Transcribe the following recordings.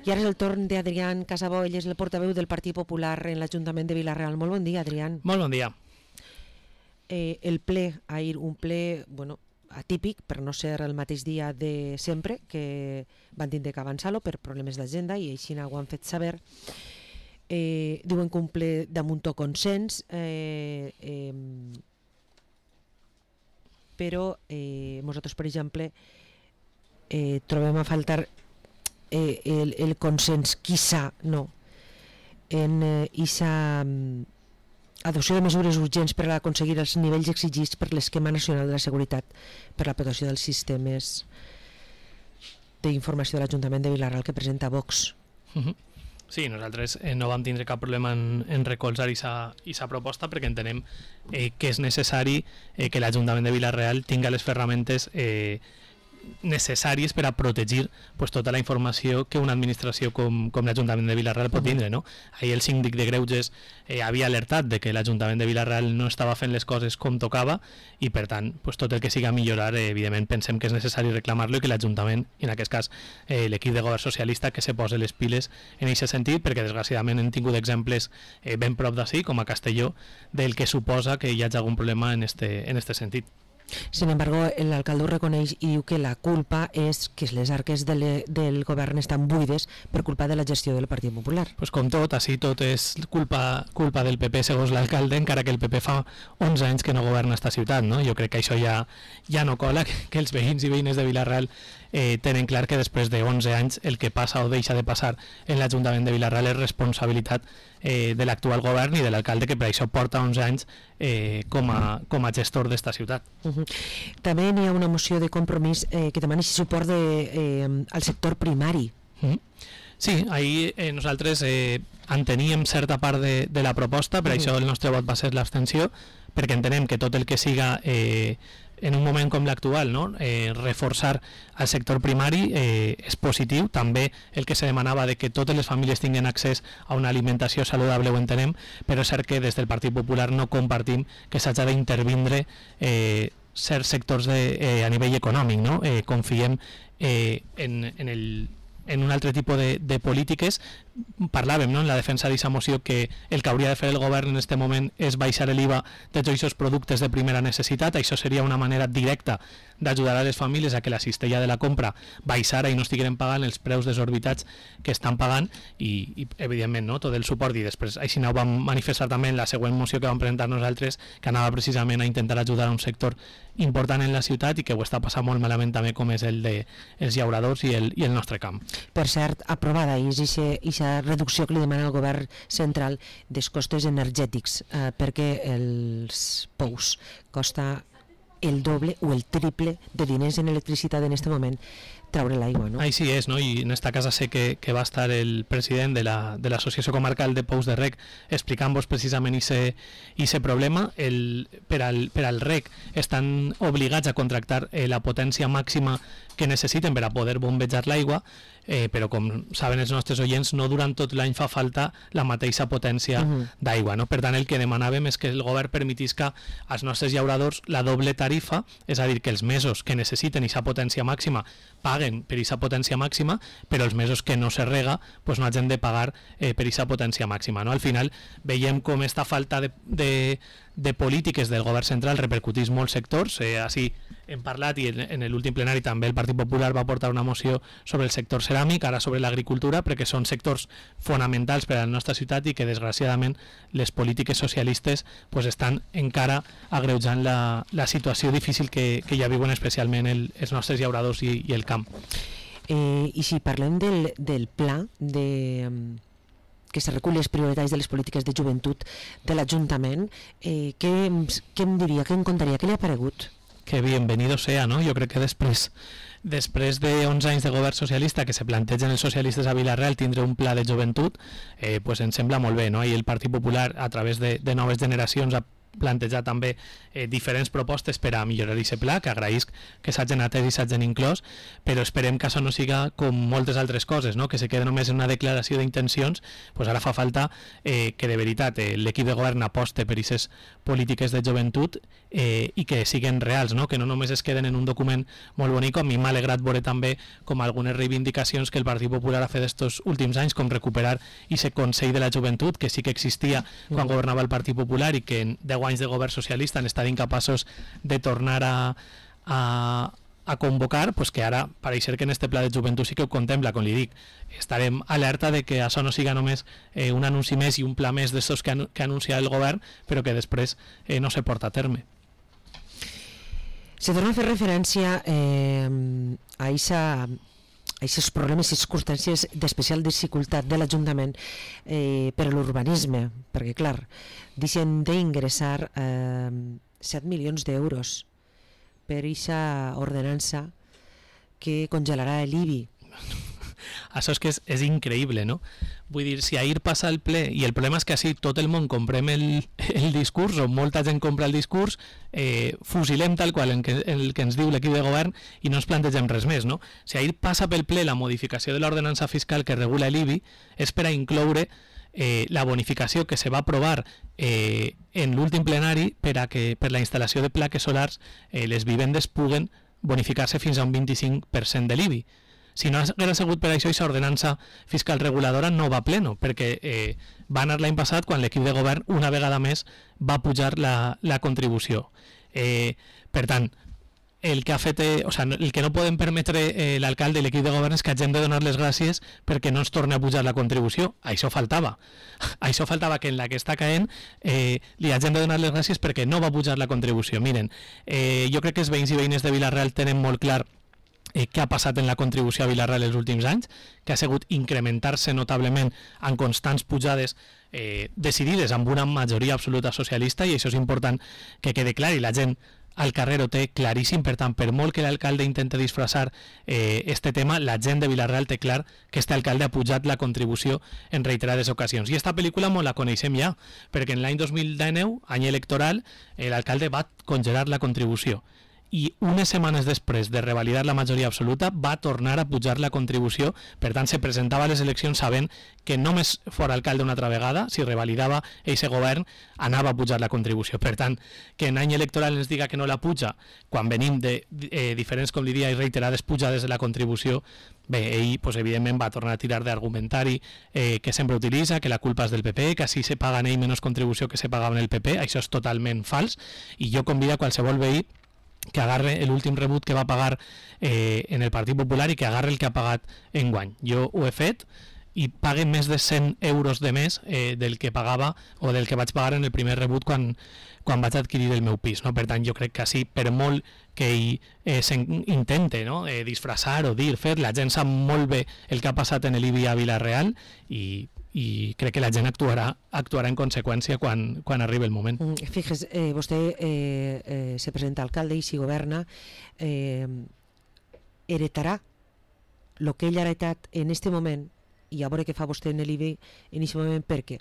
I ara és el torn d'Adrián Casabó, ell és el portaveu del Partit Popular en l'Ajuntament de Vila-real. Molt bon dia, Adrián. Molt bon dia. El ple, ahir un ple atípic, per no ser el mateix dia de sempre, que van tindre que avançar-lo per problemes d'agenda i així ho han fet saber. Diuen que un ple damunt consens, però nosaltres, per exemple, trobem a faltar el consens, quizá no, en aquesta adopció de mesures urgents per aconseguir els nivells exigits per l'Esquema Nacional de la Seguretat per la protecció dels sistemes d'informació de l'Ajuntament de Vila-real que presenta Vox. Sí, nosaltres no vam tindre cap problema en recolzar aquesta proposta perquè entenem que és necessari que l'Ajuntament de Vila-real tinga les ferramentes necessàries per a protegir tota la informació que una administració com l'Ajuntament de Vila-real pot tindre, no? Ahir el síndic de Greuges havia alertat de que l'Ajuntament de Vila-real no estava fent les coses com tocava i per tant tot el que siga millorar, evidentment pensem que és necessari reclamar-lo i que l'Ajuntament, i en aquest cas l'equip de govern socialista, que se posi les piles en aquest sentit, perquè desgraciadament hem tingut exemples ben prop d'ací, com a Castelló, del que suposa que hi hagi algun problema en este sentit. Sin embargo, l'alcalde ho reconeix i diu que la culpa és que les arques del govern estan buides per culpa de la gestió del Partit Popular. Pues com tot, així tot és culpa del PP segons l'alcalde, encara que el PP fa 11 anys que no governa esta ciutat, no? Jo crec que això ja no cola, que els veïns i veïnes de Vila-real tenen clar que després de 11 anys el que passa o deixa de passar en l'Ajuntament de Vila-real és responsabilitat de l'actual govern i de l'alcalde, que per això porta 11 anys com a gestor d'esta ciutat. També hi ha una moció de compromís que demana suport al sector primari. Sí, ahir nosaltres enteníem certa part de la proposta, per això el nostre vot va ser l'abstenció, perquè entenem que tot el que siga en un moment com l'actual, no? Reforçar el sector primari és positiu. També el que se demanava de que totes les famílies tinguin accés a una alimentació saludable ho entenem, però és cert que des del Partit Popular no compartim que s'hagi d'intervindre certs sectors a nivell econòmic, no? Confiem en un altre tipus de polítiques. Parlàvem, no, en la defensa d'aquesta moció, que el que hauria de fer el govern en aquest moment és baixar l'IVA de tots aquests productes de primera necessitat. Això seria una manera directa d'ajudar a les famílies a que la cistella de la compra baixara i no estiguin pagant els preus desorbitats que estan pagant i evidentment, no, tot el suport. I després així ho vam manifestar també en la següent moció que vam presentar nosaltres, que anava precisament a intentar ajudar a un sector important en la ciutat i que ho està passant molt malament també, com és el dels llauradors i el nostre camp. Per cert, aprovada és aquesta reducció que li demana el govern central dels costos energètics, perquè els pous costa el doble o el triple de diners en electricitat en aquest moment traure l'aigua, no? Així és, no? I en esta casa sé que va estar el president de l'Associació Comarcal de Pous de Rec explicant-vos precisament aquest problema. Per al rec estan obligats a contractar la potència màxima que necessiten per a poder bombejar l'aigua, però com saben els nostres oients, no durant tot l'any fa falta la mateixa potència d'aigua, no? Per tant, el que demanàvem és que el govern permetisca als nostres llauradors la doble tarifa, és a dir, que els mesos que necessiten aquesta potència màxima paguen per aquesta potència màxima, però els mesos que no se rega pues no hagin de pagar per aquesta potència màxima, no? Al final veiem com esta falta de polítiques del govern central repercutís molts sectors. Així hem parlat i en l'últim plenari també el Partit Popular va portar una moció sobre el sector ceràmic, ara sobre l'agricultura, perquè són sectors fonamentals per a la nostra ciutat i que desgraciadament les polítiques socialistes pues estan encara agreujant la situació difícil que ja viuen especialment els nostres llauradors i el camp. I si parlem del pla que se recull les prioritats de les polítiques de joventut de l'Ajuntament, què em diria, què em contaria, què li ha paregut? Que bienvenido sea, no? Jo crec que després de 11 anys de govern socialista que se plantegen els socialistes a Vila-real tindre un pla de joventut, pues ens sembla molt bé, no? I el Partit Popular, a través de noves generacions, plantejar també diferents propostes per a millorar aquest pla, que agraïsc que s'hagin atès i s'hagin inclòs, però esperem que això no siga com moltes altres coses, no? Que se quede només en una declaració d'intencions. Pues ara fa falta que de veritat l'equip de govern aposte per aquestes polítiques de joventut i que siguen reals, no? Que no només es queden en un document molt bonic. A mi m'ha alegrat veure també com algunes reivindicacions que el Partit Popular ha fet estos últims anys, com recuperar aquest Consell de la Joventut, que sí que existia quan governava el Partit Popular i que en 10 anys de govern socialista han estat incapaços de tornar a convocar, pues que ara pareix ser que en este pla de joventut sí que ho contempla. Com li dic, estarem alerta de que això no siga només un anunci més i un pla més d'estos que anuncia el govern, però que després no se porta a terme. Se torna a fer referència a aquests problemes i circumstàncies d'especial dificultat de l'Ajuntament per a l'urbanisme, perquè clar, deixen d'ingressar 7 milions d'euros per aquesta ordenança que congelarà l'IBI. Això és que és increïble, no? Vull dir, si ahir passa el ple, i el problema és que així tot el món comprem el discurs, o molta gent compra el discurs, fusilem tal qual el que ens diu l'equip de govern i no ens plantegem res més, no? Si ahir passa pel ple la modificació de l'ordenança fiscal que regula l'IBI, és per a incloure la bonificació que se va aprovar en l'últim plenari per la instal·lació de plaques solars les vivendes puguen bonificar-se fins a un 25% de l'IBI. Si no hagués sigut per això, aquesta ordenança fiscal reguladora no va a pleno, perquè va anar l'any passat quan l'equip de govern una vegada més va pujar la contribució. Per tant, el que no podem permetre l'alcalde i l'equip de govern és que hagin de donar les gràcies perquè no ens torni a pujar la contribució. Això faltava. Això faltava, que en la que està caent li hagin de donar les gràcies perquè no va pujar la contribució. Miren, jo crec que els veïns i veïnes de Vila-real tenen molt clar què ha passat en la contribució a Vila-real els últims anys, que ha sigut incrementar-se notablement en constants pujades decidides amb una majoria absoluta socialista, i això és important que quede clar, i la gent al carrer ho té claríssim. Per tant, per molt que l'alcalde intente disfressar este tema, la gent de Vila-real té clar que este alcalde ha pujat la contribució en reiterades ocasions. I esta pel·lícula molt la coneixem ja, perquè en l'any 2019, any electoral, l'alcalde va congelar la contribució. I unes setmanes després de revalidar la majoria absoluta va tornar a pujar la contribució. Per tant, se presentava a les eleccions sabent que només fora alcalde una altra vegada, si revalidava aquest govern, anava a pujar la contribució. Per tant, que en any electoral ens diga que no la puja, quan venim de diferents, com li dia, i reiterades pujades de la contribució, bé, ell pues, evidentment va tornar a tirar d'argumentari que sempre utilitza, que la culpa és del PP, que així se paguen ell menys contribució que se pagava en el PP. Això és totalment fals, i jo convido a qualsevol veí que agarre l'últim rebut que va pagar en el Partit Popular i que agarre el que ha pagat enguany. Jo ho he fet i pague més de 100 euros de més del que pagava o del que vaig pagar en el primer rebut quan vaig adquirir el meu pis, no? Per tant, jo crec que així, per molt que ell s'intente, no? Disfressar o dir, fer, la gent sap molt bé el que ha passat en l'IBI a Vila-real i crec que la gent actuarà en conseqüència quan arribi el moment. Fíjese, vostè se presenta alcalde i si governa heretarà el que ell ha heretat en este moment, i a veure què fa vostè en l'IBI en aquest moment, perquè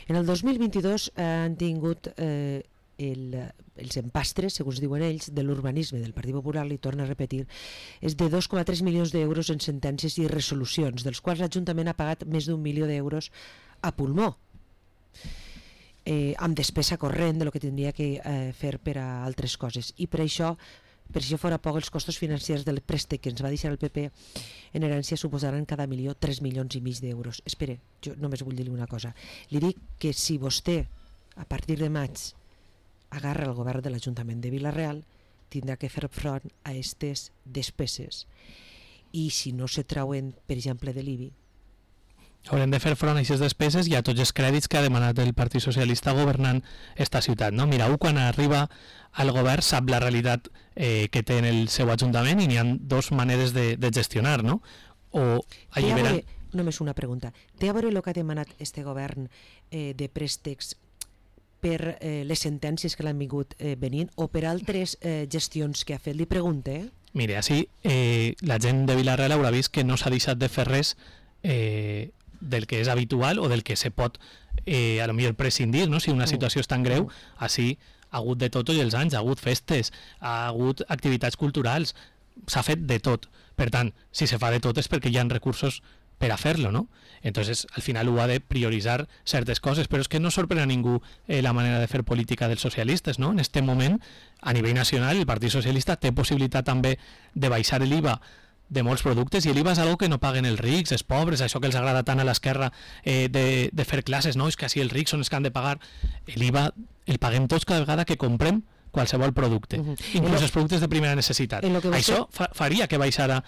en el 2022 han tingut els empastres, segons diuen ells, de l'urbanisme del Partit Popular, li torno a repetir, és de 2,3 milions d'euros en sentències i resolucions, dels quals l'Ajuntament ha pagat més d'1 milió d'euros a pulmó, amb despesa corrent de lo que tindria que fer per a altres coses. I per això fora poc, els costos financers del préstec que ens va deixar el PP en herència suposaran cada milió 3 milions i mig d'euros. Espere, jo només vull dir-li una cosa. Li dic que si vostè, a partir de maig, agarra el govern de l'Ajuntament de Vila-real, tindrà que fer front a aquestes despeses. I si no se trauen, per exemple, de l'IBI, haurem de fer front a aquestes despeses i a tots els crèdits que ha demanat el Partit Socialista governant esta ciutat, no? Mireu, quan arriba al govern sap la realitat que té en el seu ajuntament i n'hi ha dues maneres de gestionar, no? O alliberar... Només una pregunta. Té a veure el que ha demanat este govern de préstecs per les sentències que l'han vingut venint o per altres gestions que ha fet? Li pregunte. Mire, així la gent de Vila-real haurà vist que no s'ha deixat de fer res del que és habitual o del que se pot a lo millor prescindir, no? Si una situació és tan greu, així ha hagut de tot tots els anys, ha hagut festes, ha hagut activitats culturals, s'ha fet de tot. Per tant, si se fa de tot és perquè hi ha recursos per a fer-lo, ¿no? Entonces, al final ho ha de prioritzar certes coses, però és que no sorprèn a ningú la manera de fer política dels socialistes, no? En este moment, a nivell nacional, el Partit Socialista té possibilitat també de baixar l'IVA de molts productes, i l'IVA és algo que no paguen els rics, els pobres, això que els agrada tant a l'esquerra de fer classes, no? És que així els rics són els que han de pagar. L'IVA el paguem tots cada vegada que comprem qualsevol producte, inclús els productes de primera necessitat. Això faria que baixara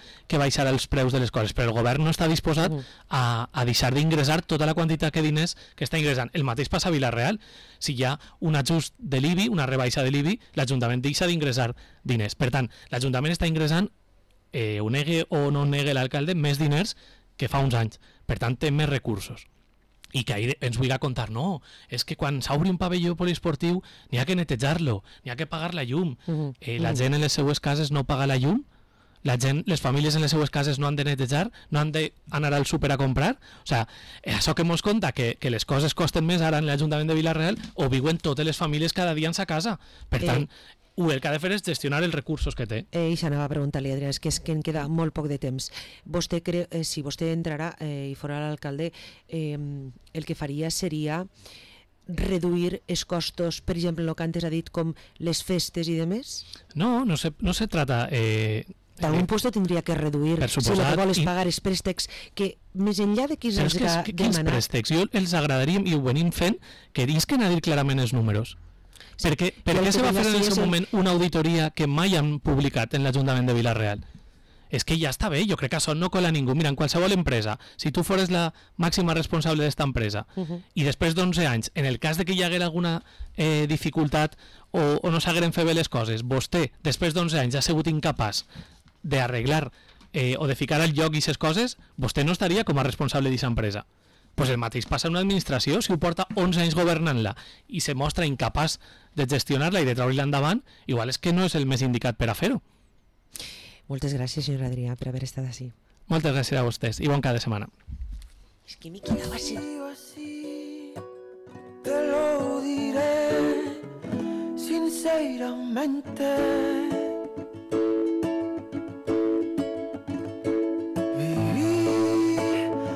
els preus de les coses, però el govern no està disposat a deixar d'ingressar tota la quantitat de diners que està ingressant. El mateix passa a Vila-real. Si hi ha un ajust de l'IBI, una rebaixa de l'IBI, l'Ajuntament deixa d'ingressar diners. Per tant, l'Ajuntament està ingressant, ho negue o no negue l'alcalde, més diners que fa uns anys. Per tant, té més recursos. I que ahir ens vulgui contar, no, és que quan s'obri un pavelló poliesportiu n'hi ha que netejar-lo, n'hi ha que pagar la llum. La gent en les seues cases no paga la llum, les famílies en les seues cases no han de netejar, no han d'anar al súper a comprar. O sigui, això que mos conta, que les coses costen més ara en l'Ajuntament de Vila-real, ho viuen totes les famílies cada dia en sa casa. Per tant, el que ha de fer és gestionar els recursos que té. I s'anava a preguntar-li, Adrià, és que en queda molt poc de temps. Vostè creu, si vostè entrarà i fora l'alcalde, el que faria seria reduir els costos, per exemple, el que antes ha dit, com les festes i demés? No se trata... D'algun puesto tindria que reduir, si el que vol és pagar els préstecs, que més enllà de qui els ha demanat... Quins préstecs? Jo els agradaria, i ho venim fent, que disquen a dir clarament els números. Per què se va fer en el seu moment una auditoria que mai han publicat en l'Ajuntament de Vila-real? És que ja està bé, jo crec que això no cola ningú. Mira, en qualsevol empresa, si tu fores la màxima responsable d'esta empresa i després d'11 anys, en el cas de que hi haguera alguna dificultat o no s'hagueren fet bé les coses, vostè, després d'11 anys, ha sigut incapaç d'arreglar o de ficar al lloc aquestes coses, vostè no estaria com a responsable d'aquesta empresa. Pues el mateix passa en una administració. Si ho porta 11 anys governant-la i se mostra incapaç de gestionar-la i de treure-la endavant, igual és que no és el més indicat per a fer-ho. Moltes gràcies, senyor Adrià, per haver estat així. Moltes gràcies a vostès i bon cap de setmana. És que me quedava así. Te lo diré sinceramente.